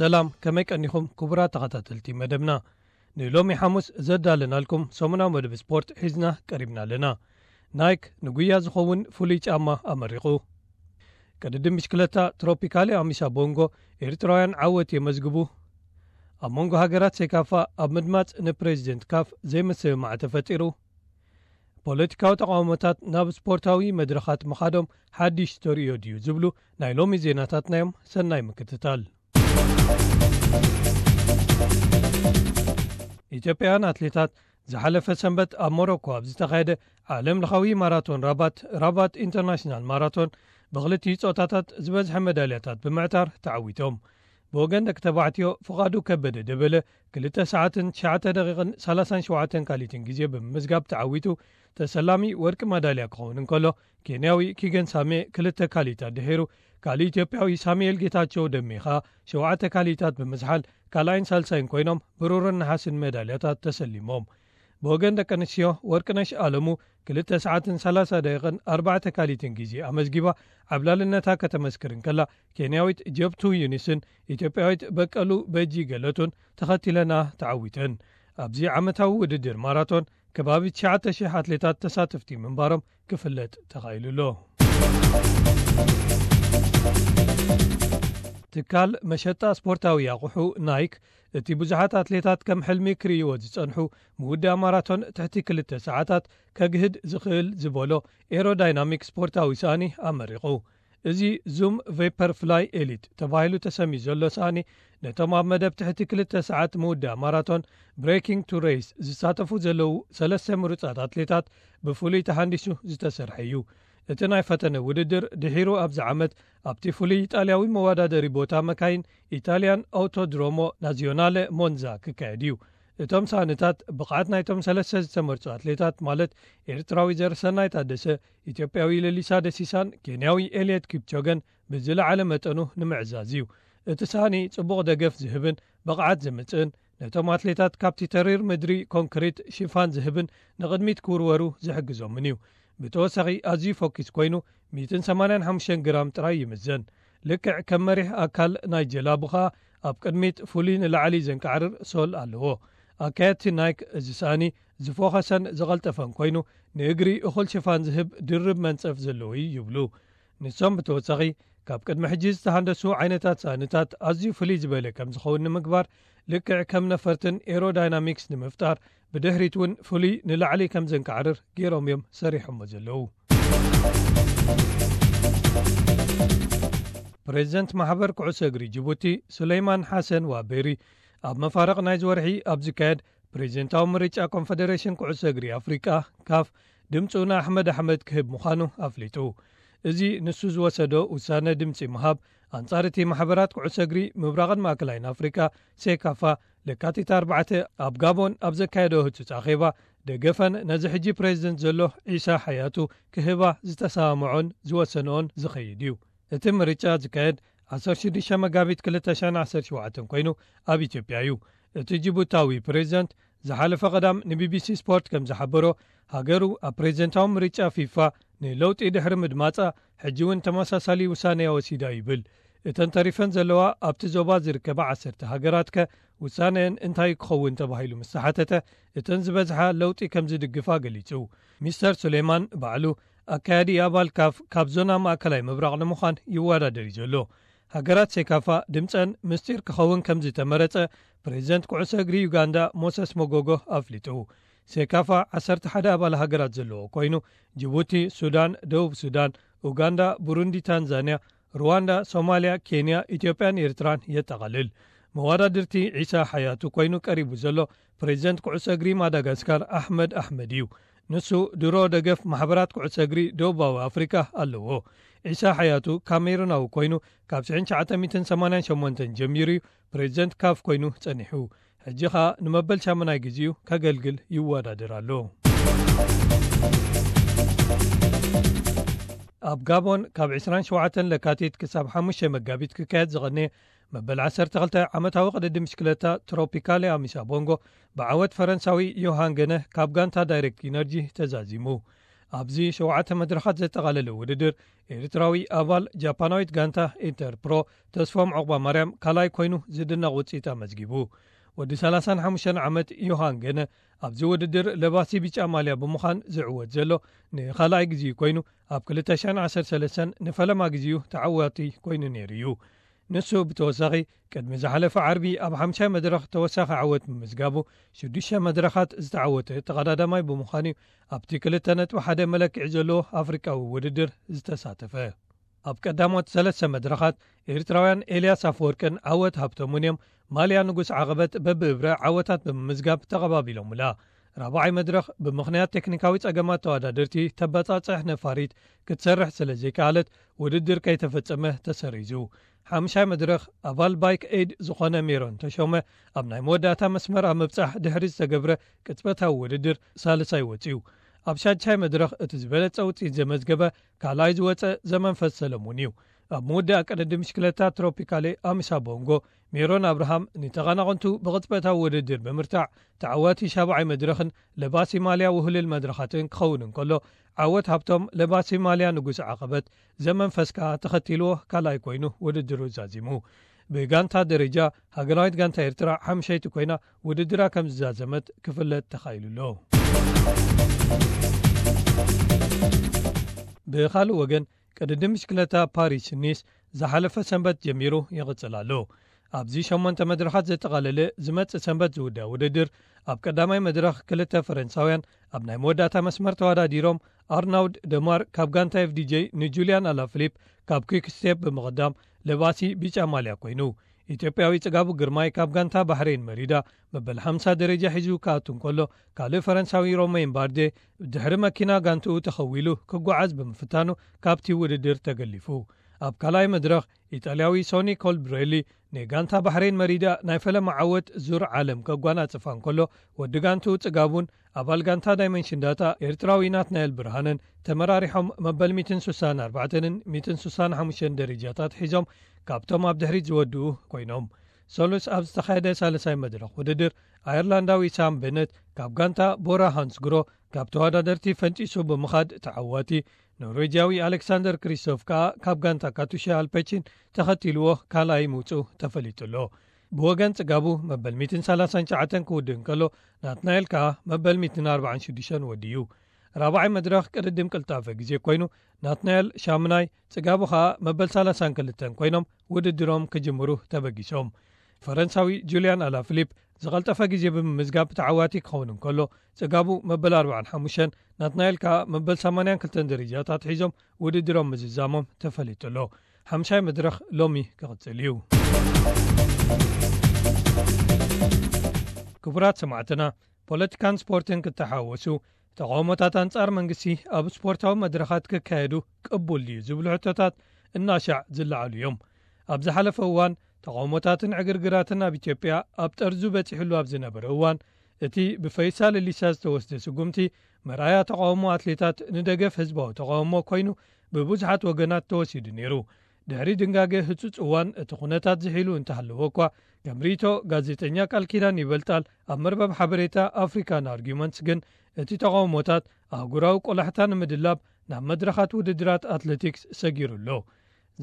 ሰላም፣ ከመይ ቀኒኹም ክቡራት ተኸታተልቲ መደብና? ንሎሚ ሓሙስ ዘዳለናልኩም ሰሙናዊ መደብ ስፖርት ሒዝና ቀሪብና ኣለና። ናይክ ንጉያ ዝኸውን ፍሉይ ጫማ ኣመሪቑ። ቅድድም ብሽክለታ ትሮፒካሊ ኣሚሳ ቦንጎ ኤርትራውያን ዓወት የመዝግቡ። ኣብ መንጎ ሃገራት ሴካፋ ኣብ ምድማጽ ንፕሬዚደንት ካፍ ዘይምስምማዕ ተፈጢሩ። ፖለቲካዊ ተቃውሞታት ናብ ስፖርታዊ መድረኻት ምኻዶም ሓድሽ ተርእዮ ድዩ ዝብሉ ናይ ሎሚ ዜናታትና እዮም። ሰናይ ምክትታል። ኢትዮጵያውያን ኣትሌታት ዝሓለፈ ሰንበት ኣብ ሞሮኮ ኣብ ዝተኻየደ ዓለም ለኻዊ ማራቶን ራባት፣ ራባት ኢንተርናሽናል ማራቶን፣ ብክልቲኡ ጾታታት ዝበዝሐ መዳልያታት ብምዕታር ተዓዊቶም። ብወገን ደቂ ተባዕትዮ ፍቓዱ ከበደ ደበለ ክልተ ሰዓትን ትሽዓተ ደቂቕን ሰላሳን ሸውዓተን ካሊትን ግዜ ብምምዝጋብ ተዓዊቱ ተሰላሚ ወርቂ መዳልያ ክኸውን እንከሎ፣ ኬንያዊ ኪገን ሳሜ ክልተ ካሊታት ድሒሩ፣ ካልእ ኢትዮጵያዊ ሳሙኤል ጌታቸው ደሜ ኸኣ ሸውዓተ ካሊታት ብምዝሓል ካልኣይን ሳልሳይን ኮይኖም ብሩርን ነሓስን መዳልያታት ተሰሊሞም። ብወገን ደቂ ኣንስትዮ ወርቅነሽ ኣለሙ ክልተ ሰዓትን ሰላሳ ደቂቕን ኣርባዕተ ካሊትን ግዜ ኣመዝጊባ ዓብላልነታ ከተመስክር እንከላ፣ ኬንያዊት ጀብቱ ዩኒስን ኢትዮጵያዊት በቀሉ በጂ ገለቱን ተኸቲለና ተዓዊተን። ኣብዚ ዓመታዊ ውድድር ማራቶን ከባቢ ትሽዓተ ሽሕ ኣትሌታት ተሳተፍቲ ምንባሮም ክፍለጥ ተኻኢሉ ኣሎ። ትካል መሸጣ ስፖርታዊ ኣቑሑ ናይክ፣ እቲ ብዙሓት ኣትሌታት ከም ሕልሚ ክርእይዎ ዝጸንሑ ምውዳእ ማራቶን ትሕቲ ክልተ ሰዓታት ከግህድ ዝኽእል ዝበሎ ኤሮዳይናሚክ ስፖርታዊ ሳእኒ ኣመሪቑ። እዚ ዙም ቬፐር ፍላይ ኤሊት ተባሂሉ ተሰምዩ ዘሎ ሳእኒ፣ ነቶም ኣብ መደብ ትሕቲ ክልተ ሰዓት ምውዳእ ማራቶን ብሬኪንግ ቱ ሬስ ዝሳተፉ ዘለዉ ሰለስተ ምሩጻት ኣትሌታት ብፍሉይ ተሃንዲሱ ዝተሰርሐ እዩ። እቲ ናይ ፈተነ ውድድር ድሒሩ ኣብዚ ዓመት ኣብቲ ፍሉይ ኢጣልያዊ መወዳደሪ ቦታ መካይን ኢታልያን ኣውቶድሮሞ ናዚዮናለ ሞንዛ ክካየድ እዩ። እቶም ሳእንታት ብቕዓት ናይቶም ሰለስተ ዝተመርጹ ኣትሌታት፣ ማለት ኤርትራዊ ዘርሰናይ ታደሰ፣ ኢትዮጵያዊ ለሊሳ ደሲሳን ኬንያዊ ኤልየት ኪፕቾገን ብዝለዓለ መጠኑ ንምዕዛዝ እዩ። እቲ ሳእኒ ጽቡቕ ደገፍ ዝህብን ብቕዓት ዘምጽእን፣ ነቶም ኣትሌታት ካብቲ ተሪር ምድሪ ኮንክሪት ሽፋን ዝህብን ንቕድሚት ክውርወሩ ዝሕግዞምን እዩ። ብተወሳኺ ኣዝዩ ፎኪስ ኮይኑ ሚእትን ሰማንያን ሓሙሽተን ግራም ጥራይ ይምዘን። ልክዕ ከም መሪሕ ኣካል ናይ ጀላቡ ኸኣ ኣብ ቅድሚት ፍሉይ ንላዕሊ ዘንቃዕርር ሶል ኣለዎ። ኣካየድቲ ናይክ እዚ ሳእኒ ዝፎኸሰን ዝቐልጠፈን ኮይኑ ንእግሪ እኹል ሽፋን ዝህብ ድርብ መንጸፍ ዘለዎ እዩ ይብሉ። ንሶም ብተወሳኺ ካብ ቅድሚ ሕጂ ዝተሃንደሱ ዓይነታት ሳእንታት ኣዝዩ ፍልይ ዝበለ ከም ዝኸውን ንምግባር ልክዕ ከም ነፈርትን ኤሮዳይናሚክስ ንምፍጣር ብድሕሪት እውን ፍሉይ ንላዕሊ ከም ዘንቃዕርር ገይሮም እዮም ሰሪሖሞ ዘለዉ። ፕሬዚደንት ማሕበር ኩዕሶ እግሪ ጅቡቲ ሱለይማን ሓሰን ዋቤሪ ኣብ መፋርቕ ናይዚ ወርሒ ኣብ ዝካየድ ፕሬዚደንታዊ ምርጫ ኮንፈደሬሽን ኩዕሶ እግሪ ኣፍሪቃ ካፍ ድምፁ ንኣሕመድ ኣሕመድ ክህብ ምዃኑ ኣፍሊጡ። እዚ ንሱ ዝወሰዶ ውሳነ ድምፂ ምሃብ ኣንጻር እቲ ማሕበራት ኩዕሶ እግሪ ምብራቕን ማእከላይን ኣፍሪቃ ሴካፋ ለካቲት ኣርባዕተ ኣብ ጋቦን ኣብ ዘካየዶ ህጹጽ ኣኼባ ደገፈን ነዚ ሕጂ ፕሬዚደንት ዘሎ ዒሳ ሓያቱ ክህባ ዝተሰማምዖን ዝወሰንኦን ዝኸይድ እዩ። እቲ ምርጫ ዝካየድ ዓሰርተ ሽዱሽተ መጋቢት ክልተ ሽሕን ዓሰርተ ሸውዓተን ኮይኑ ኣብ ኢትዮጵያ እዩ። እቲ ጅቡታዊ ፕሬዚደንት ዝሓለፈ ቀዳም ንቢቢሲ ስፖርት ከም ዝሓበሮ፣ ሃገሩ ኣብ ፕሬዚደንታዊ ምርጫ ፊፋ ንለውጢ ድሕሪ ምድማጻ ሕጂ እውን ተመሳሳሊ ውሳነያ ወሲዳ ይብል። እተን ተሪፈን ዘለዋ ኣብቲ ዞባ ዝርከባ ዓሰርተ ሃገራት ከ ውሳነአን እንታይ ክኸውን ተባሂሉ ምስ ተሓተተ፣ እተን ዝበዝሓ ለውጢ ከም ዝድግፋ ገሊጹ። ሚስተር ሱሌማን ባዕሉ ኣካያዲ ኣባል ካፍ ካብ ዞና ማእከላይ ምብራቕ ንምዃን ይወዳደር እዩ ዘሎ። ሃገራት ሴካፋ ድምጸን ምስጢር ክኸውን ከም ዝተመረጸ ፕሬዚደንት ኩዕሶ እግሪ ዩጋንዳ ሞሰስ ሞጎጎ ኣፍሊጡ። ሴካፋ ዓሰርተ ሓደ ኣባል ሃገራት ዘለዎ ኮይኑ፣ ጅቡቲ፣ ሱዳን፣ ደቡብ ሱዳን፣ ኡጋንዳ፣ ቡሩንዲ፣ ታንዛንያ፣ ሩዋንዳ፣ ሶማልያ፣ ኬንያ፣ ኢትዮጵያን ኤርትራን የጠቓልል። መወዳድርቲ ዒሳ ሓያቱ ኮይኑ ቀሪቡ ዘሎ ፕሬዚደንት ኩዕሶ እግሪ ማዳጋስካር ኣሕመድ ኣሕመድ እዩ። ንሱ ድሮ ደገፍ ማሕበራት ኩዕሶ እግሪ ደቡባዊ ኣፍሪቃ ኣለዎ። ዒሳ ሓያቱ ካሜሩናዊ ኮይኑ ካብ ሽሕን ትሽዓተ ሚእትን ሰማንያን ሸሞንተን ጀሚሩ እዩ ፕሬዚደንት ካፍ ኮይኑ ጸኒሑ። ሕጂ ኸኣ ንመበል ሻሙናይ ግዜኡ ከገልግል ይወዳደር ኣሎ። ኣብ ጋቦን ካብ ዕስራን ሸውዓተን ለካቲት ክሳብ ሓሙሽተ መጋቢት ክካየድ ዝቐነየ መበል ዓሰርተ ክልተ ዓመታዊ ቅድድም ብሽክለታ ትሮፒካሊ ኣሚሳ ቦንጎ ብዓወት ፈረንሳዊ ዮሃን ገነ ካብ ጋንታ ዳይሬክት ኢነርጂ ተዛዚሙ። ኣብዚ ሸውዓተ መድረኻት ዘጠቓለለ ውድድር፣ ኤርትራዊ ኣባል ጃፓናዊት ጋንታ ኢንተርፕሮ ተስፎም ዑቕባ ማርያም ካልኣይ ኮይኑ ዝድነቕ ውፅኢት ኣመዝጊቡ። ወዲ ሰላሳን ሓሙሽተን ዓመት ዮሃን ገነ ኣብዚ ውድድር ለባሲ ቢጫ ማልያ ብምዃን ዝዕወት ዘሎ ንኻልኣይ ግዜኡ ኮይኑ፣ ኣብ ክልተ ሽሕን ዓሰርተ ሰለስተን ንፈለማ ግዜኡ ተዓዋቲ ኮይኑ ነይሩ እዩ። ንሱ ብተወሳኺ ቅድሚ ዝሓለፈ ዓርቢ ኣብ ሓምሻይ መድረኽ ተወሳኺ ዓወት ብምዝጋቡ ሽዱሽተ መድረኻት ዝተዓወተ ተቐዳዳማይ ብምዃኑ እዩ ኣብቲ ክልተ ነጥቢ ሓደ መለክዒ ዘለዎ ኣፍሪቃዊ ውድድር ዝተሳተፈ። ኣብ ቀዳሞት ሰለስተ መድረኻት ኤርትራውያን ኤልያስ ኣፈወርቅን ዓወት ሃብተሙን እዮም ማልያ ንጉስ ዓቐበት በብእብረ ዓወታት ብምምዝጋብ ተቐባቢሎምላ። ራብዓይ መድረኽ ብምኽንያት ቴክኒካዊ ጸገማት ተወዳደርቲ ተበጻጽሕ ነፋሪት ክትሰርሕ ስለ ዘይከኣለት ውድድር ከይተፈጸመ ተሰሪዙ። ሓምሻይ መድረኽ ኣባል ባይክ ኤድ ዝኾነ ሜሮን ተሾመ ኣብ ናይ መወዳእታ መስመር ኣብ ምብጻሕ ድሕሪ ዝተገብረ ቅጽበታዊ ውድድር ሳልሳይ ወጺኡ። ኣብ ሻድሻይ መድረኽ እቲ ዝበለጸ ውጽኢት ዘመዝገበ ካልኣይ ዝወጸ ዘመንፈስ ሰለሙን እዩ። ኣብ ምውዳእ ቅድድም ብሽክለታ ትሮፒካሌ ኣሚሳ ቦንጎ ሜሮን ኣብርሃም ንተቐናቐንቱ ብቕጽበታዊ ውድድር ብምርታዕ ተዓዋቲ ሻብዓይ መድረኽን ለባሲ ማልያ ውህልል መድረኻትን ክኸውን እንከሎ፣ ዓወት ሃብቶም ለባሲ ማልያ ንጉስ ዓቐበት ዘመንፈስ ከኣ ተኸቲልዎ ካልኣይ ኮይኑ ውድድሩ ዛዚሙ። ብጋንታ ደረጃ ሃገራዊት ጋንታ ኤርትራ ሓምሸይቲ ኮይና ውድድራ ከም ዝዛዘመት ክፍለጥ ተኻኢሉ ኣሎ። ብኻልእ ወገን ቅድድም ብሽክለታ ፓሪስ ኒስ ዝሓለፈ ሰንበት ጀሚሩ ይቕጽል ኣሎ። ኣብዚ ሸሞንተ መድረኻት ዘጠቓለለ ዝመጽእ ሰንበት ዝውዳእ ውድድር ኣብ ቀዳማይ መድረኽ ክልተ ፈረንሳውያን ኣብ ናይ መወዳእታ መስመር ተወዳዲሮም ኣርናውድ ደማር ካብ ጋንታ ኤፍዲጄ ንጁልያን ኣላፍሊፕ ካብ ኩክ ስቴፕ ብምቕዳም ለባሲ ቢጫ ማልያ ኮይኑ። ኢትዮጵያዊ ጽጋቡ ግርማይ ካብ ጋንታ ባሕሬን መሪዳ መበል ሓምሳ ደረጃ ሒዙ ክኣቱ እንከሎ ካልእ ፈረንሳዊ ሮሜን ባርዴ ድሕሪ መኪና ጋንትኡ ተኸዊሉ ክጓዓዝ ብምፍታኑ ካብቲ ውድድር ተገሊፉ። ኣብ ካልኣይ መድረኽ ኢጣልያዊ ሶኒ ኮልብሬሊ ንጋንታ ባሕሬን መሪዳ ናይ ፈለማ ዓወት ዙር ዓለም ከጓናጽፋ እንከሎ ወዲ ጋንትኡ ጽጋቡን ኣባል ጋንታ ዳይመንሽን ዳታ ኤርትራዊ ናትናኤል ብርሃንን ተመራሪሖም መበል ሚእትን ስሳን ኣርባዕተንን ሚእትን ስሳን ሓሙሽተን ደረጃታት ሒዞም ካብቶም ኣብ ድሕሪት ዝወድኡ ኮይኖም። ሰሉስ ኣብ ዝተኻየደ ሳልሳይ መድረኽ ውድድር ኣየርላንዳዊ ሳም ቤነት ካብ ጋንታ ቦራ ሃንስግሮ ካብ ተወዳደርቲ ፈንጪሱ ብምኻድ ተዓዋቲ፣ ኖርዌጅያዊ ኣሌክሳንደር ክሪስቶፍ ከኣ ካብ ጋንታ ካቱሻ ኣልፔቺን ተኸቲልዎ ካልኣይ ምውጽኡ ተፈሊጡ ኣሎ። ብወገን ጽጋቡ መበል ሚእትን ሰላሳን ትሽዓተን ክውድእ እንከሎ ናትናኤል ከኣ መበል ሚእትን ኣርባዓን ሽዱሽተን ወድዩ። ራብዓይ መድረኽ ቅድድም ቅልጣፈ ግዜ ኮይኑ ናትናኤል ሻምናይ ጽጋቡ ከኣ መበል ሰላሳን ክልተን ኮይኖም ውድድሮም ክጅምሩ ተበጊሶም። ፈረንሳዊ ጁልያን ኣላፍሊፕ ዝቐልጠፈ ግዜ ብምምዝጋብ ተዓዋቲ ክኸውን እንከሎ ጽጋቡ መበል ኣርባዓን ሓሙሽተን ናትናኤል ከኣ መበል ሰማንያን ክልተን ደረጃታት ሒዞም ውድድሮም ምዝዛሞም ተፈሊጡ ኣሎ። ሓምሻይ መድረኽ ሎሚ ክቕጽል እዩ። ክቡራት ሰማዕትና፣ ፖለቲካን ስፖርትን ክተሓወሱ፣ ተቓውሞታት ኣንጻር መንግስቲ ኣብ ስፖርታዊ መድረኻት ክካየዱ ቅቡል ድዩ ዝብሉ ሕቶታት እናሻዕ ዝለዓሉ እዮም። ኣብ ዝሓለፈ እዋን ተቓውሞታትን ዕግርግራትን ኣብ ኢትዮጵያ ኣብ ጠርዙ በጺሕሉ ኣብ ዝነበረ እዋን፣ እቲ ብፈይሳ ለሊሳ ዝተወስደ ስጉምቲ መርኣያ ተቓውሞ ኣትሌታት ንደገፍ ህዝባዊ ተቓውሞ ኮይኑ ብብዙሓት ወገናት ተወሲዱ ነይሩ። ድሕሪ ድንጋገ ህጹጽ እዋን እቲ ኩነታት ዝሒሉ እንተሃለወ እኳ፣ ከም ርእይቶ ጋዜጠኛ ቃል ኪዳን ይበልጣል ኣብ መርበብ ሓበሬታ ኣፍሪካን ኣርጊመንትስ ግን፣ እቲ ተቓውሞታት ኣህጉራዊ ቆላሕታ ንምድላብ ናብ መድረኻት ውድድራት ኣትሌቲክስ ሰጊሩ ኣሎ።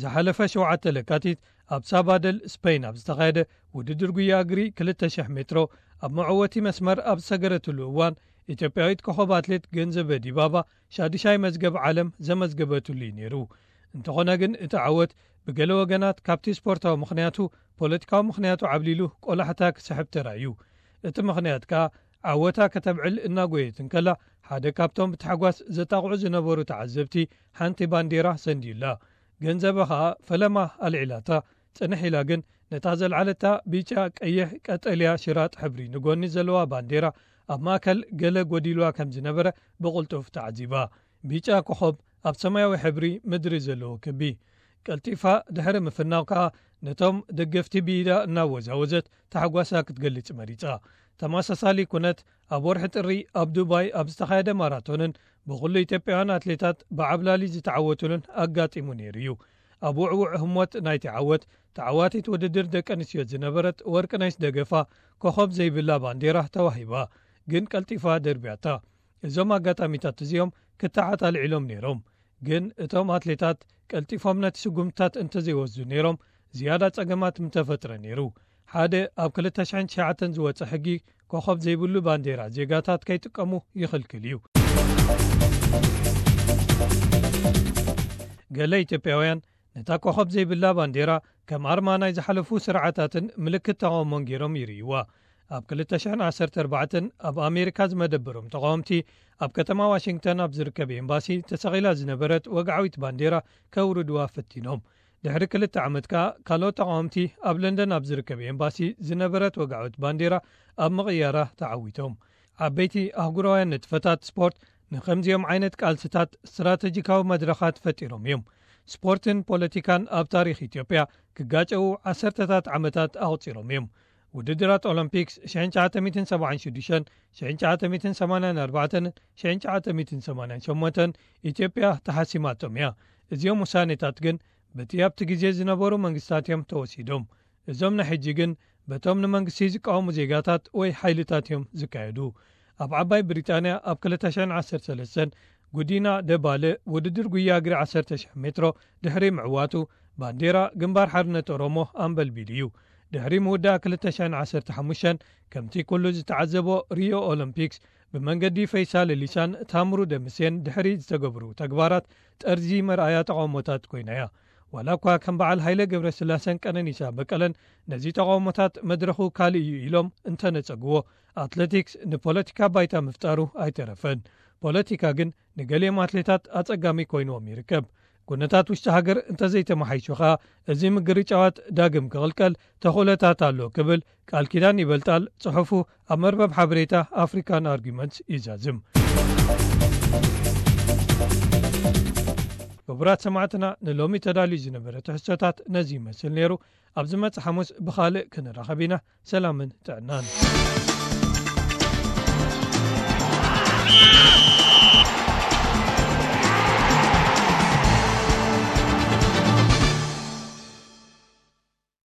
ዝሓለፈ ሸውዓተ ለካቲት ኣብ ሳባደል ስፔን ኣብ ዝተኻየደ ውድድር ጉያ እግሪ ክልተ ሽሕ ሜትሮ ኣብ መዕወቲ መስመር ኣብ ዝሰገረትሉ እዋን፣ ኢትዮጵያዊት ኮኸብ ኣትሌት ገንዘበ ዲባባ ሻድሻይ መዝገብ ዓለም ዘመዝገበትሉ እዩ ነይሩ። እንተኾነ ግን እቲ ዓወት ብገለ ወገናት ካብቲ ስፖርታዊ ምኽንያቱ ፖለቲካዊ ምኽንያቱ ዓብሊሉ ቆላሕታ ክስሕብ ተራእዩ። እቲ ምኽንያት ከኣ ዓወታ ከተብዕል እናጎየት እንከላ ሓደ ካብቶም ብታሕጓስ ዘጣቕዑ ዝነበሩ ተዓዘብቲ ሓንቲ ባንዴራ ሰንድዩላ። ገንዘበ ከኣ ፈለማ ኣልዒላታ። ጽንሕ ኢላ ግን ነታ ዘልዓለታ ቢጫ፣ ቀይሕ፣ ቀጠልያ ሽራጥ ሕብሪ ንጎኒ ዘለዋ ባንዴራ ኣብ ማእከል ገለ ጎዲልዋ ከም ዝነበረ ብቕልጡፍ ተዓዚባ። ቢጫ ኮኾብ ኣብ ሰማያዊ ሕብሪ ምድሪ ዘለዎ ክቢ ቀልጢፋ ድሕሪ ምፍናው ከኣ ነቶም ደገፍቲ ብኢዳ እናወዛወዘት ታሕጓሳ ክትገልጽ መሪጻ። ተመሳሳሊ ኩነት ኣብ ወርሒ ጥሪ ኣብ ዱባይ ኣብ ዝተኻየደ ማራቶንን ብኹሉ ኢትዮጵያውያን ኣትሌታት ብዓብላሊ ዝተዓወቱሉን ኣጋጢሙ ነይሩ እዩ። ኣብ ውዕውዕ ህሞት ናይቲ ዓወት ተዓዋቲት ውድድር ደቂ ኣንስትዮ ዝነበረት ወርቅነሽ ደገፋ ኮኾብ ዘይብላ ባንዴራ ተዋሂባ፣ ግን ቀልጢፋ ደርብያታ። እዞም ኣጋጣሚታት እዚኦም ክተዓት ኣልዒሎም ነይሮም። ግን እቶም ኣትሌታት ቀልጢፎም ነቲ ስጉምትታት እንተዘይወስዱ ነይሮም፣ ዝያዳ ጸገማት ምተፈጥረ ነይሩ። ሓደ ኣብ ክልተ ሽሕን ትሽዓተን ዝወጸ ሕጊ ኮኸብ ዘይብሉ ባንዴራ ዜጋታት ከይጥቀሙ ይኽልክል እዩ። ገለ ኢትዮጵያውያን ነታ ኮኸብ ዘይብላ ባንዴራ ከም ኣርማ ናይ ዝሓለፉ ስርዓታትን ምልክት ተቓውሞን ገይሮም ይርእይዋ። ኣብ ክልተ ሽሕን ዓሰርተ ኣርባዕተን ኣብ ኣሜሪካ ዝመደበሮም ተቓወምቲ ኣብ ከተማ ዋሽንግተን ኣብ ዝርከብ ኤምባሲ ተሰቒላ ዝነበረት ወግዓዊት ባንዴራ ከውርድዋ ፈቲኖም። ድሕሪ ክልተ ዓመት ከኣ ካልኦት ተቓወምቲ ኣብ ለንደን ኣብ ዝርከብ ኤምባሲ ዝነበረት ወግዓዊት ባንዴራ ኣብ ምቕያራ ተዓዊቶም። ዓበይቲ ኣህጉራውያን ንጥፈታት ስፖርት ንኸምዚኦም ዓይነት ቃልስታት ስትራተጂካዊ መድረኻት ፈጢሮም እዮም። ስፖርትን ፖለቲካን ኣብ ታሪኽ ኢትዮጵያ ክጋጨዉ ዓሰርተታት ዓመታት ኣቑጺሮም እዮም። ውድድራት ኦሎምፒክስ ሽሕን ትሽዓተ ሚእትን ሰብዓን ሽዱሽተን፣ ሽሕን ትሽዓተ ሚእትን ሰማንያን ኣርባዕተን፣ ሽሕን ትሽዓተ ሚእትን ሰማንያን ሸሞንተን ኢትዮጵያ ተሓሲማቶም እያ። እዚኦም ውሳኔታት ግን በቲ ኣብቲ ግዜ ዝነበሩ መንግስታት እዮም ተወሲዶም። እዞም ናይ ሕጂ ግን በቶም ንመንግስቲ ዝቃወሙ ዜጋታት ወይ ሓይልታት እዮም ዝካየዱ። ኣብ ዓባይ ብሪጣንያ ኣብ ክልተ ሽሕን ዓሰርተ ሰለስተን ጉዲና ደባለ ውድድር ጉያ እግሪ ዓሰርተ ሽሕ ሜትሮ ድሕሪ ምዕዋቱ ባንዴራ ግንባር ሓርነት ኦሮሞ ኣንበልቢሉ እዩ። ድሕሪ ምውዳእ ክልተ ሽሕን ዓሰርተ ሓሙሽተን ከምቲ ኩሉ ዝተዓዘቦ ሪዮ ኦሎምፒክስ ብመንገዲ ፈይሳ ለሊሳን ታምሩ ደምሴን ድሕሪ ዝተገብሩ ተግባራት ጠርዚ መርኣያ ተቓውሞታት ኮይና እያ። ዋላ እኳ ከም በዓል ሃይለ ገብረስላሰን ቀነኒሳ በቀለን ነዚ ተቓውሞታት መድረኹ ካልእ እዩ ኢሎም እንተነጸግዎ፣ ኣትሌቲክስ ንፖለቲካ ባይታ ምፍጣሩ ኣይተረፈን። ፖለቲካ ግን ንገሊኦም ኣትሌታት ኣጸጋሚ ኮይንዎም ይርከብ። ኩነታት ውሽጢ ሃገር እንተዘይተመሓይሹ ኸኣ እዚ ምግርጫዋት ዳግም ክቕልቀል ተኽእሎታት ኣሎ ክብል ቃል ኪዳን ይበልጣል ጽሑፉ ኣብ መርበብ ሓበሬታ ኣፍሪካን ኣርጊመንትስ ይዛዝም። ክቡራት ሰማዕትና፣ ንሎሚ ተዳልዩ ዝነበረ ትሕዝቶታት ነዚ ይመስል ነይሩ። ኣብ ዝመጽእ ሓሙስ ብኻልእ ክንራኸብ ኢና። ሰላምን ጥዕናን።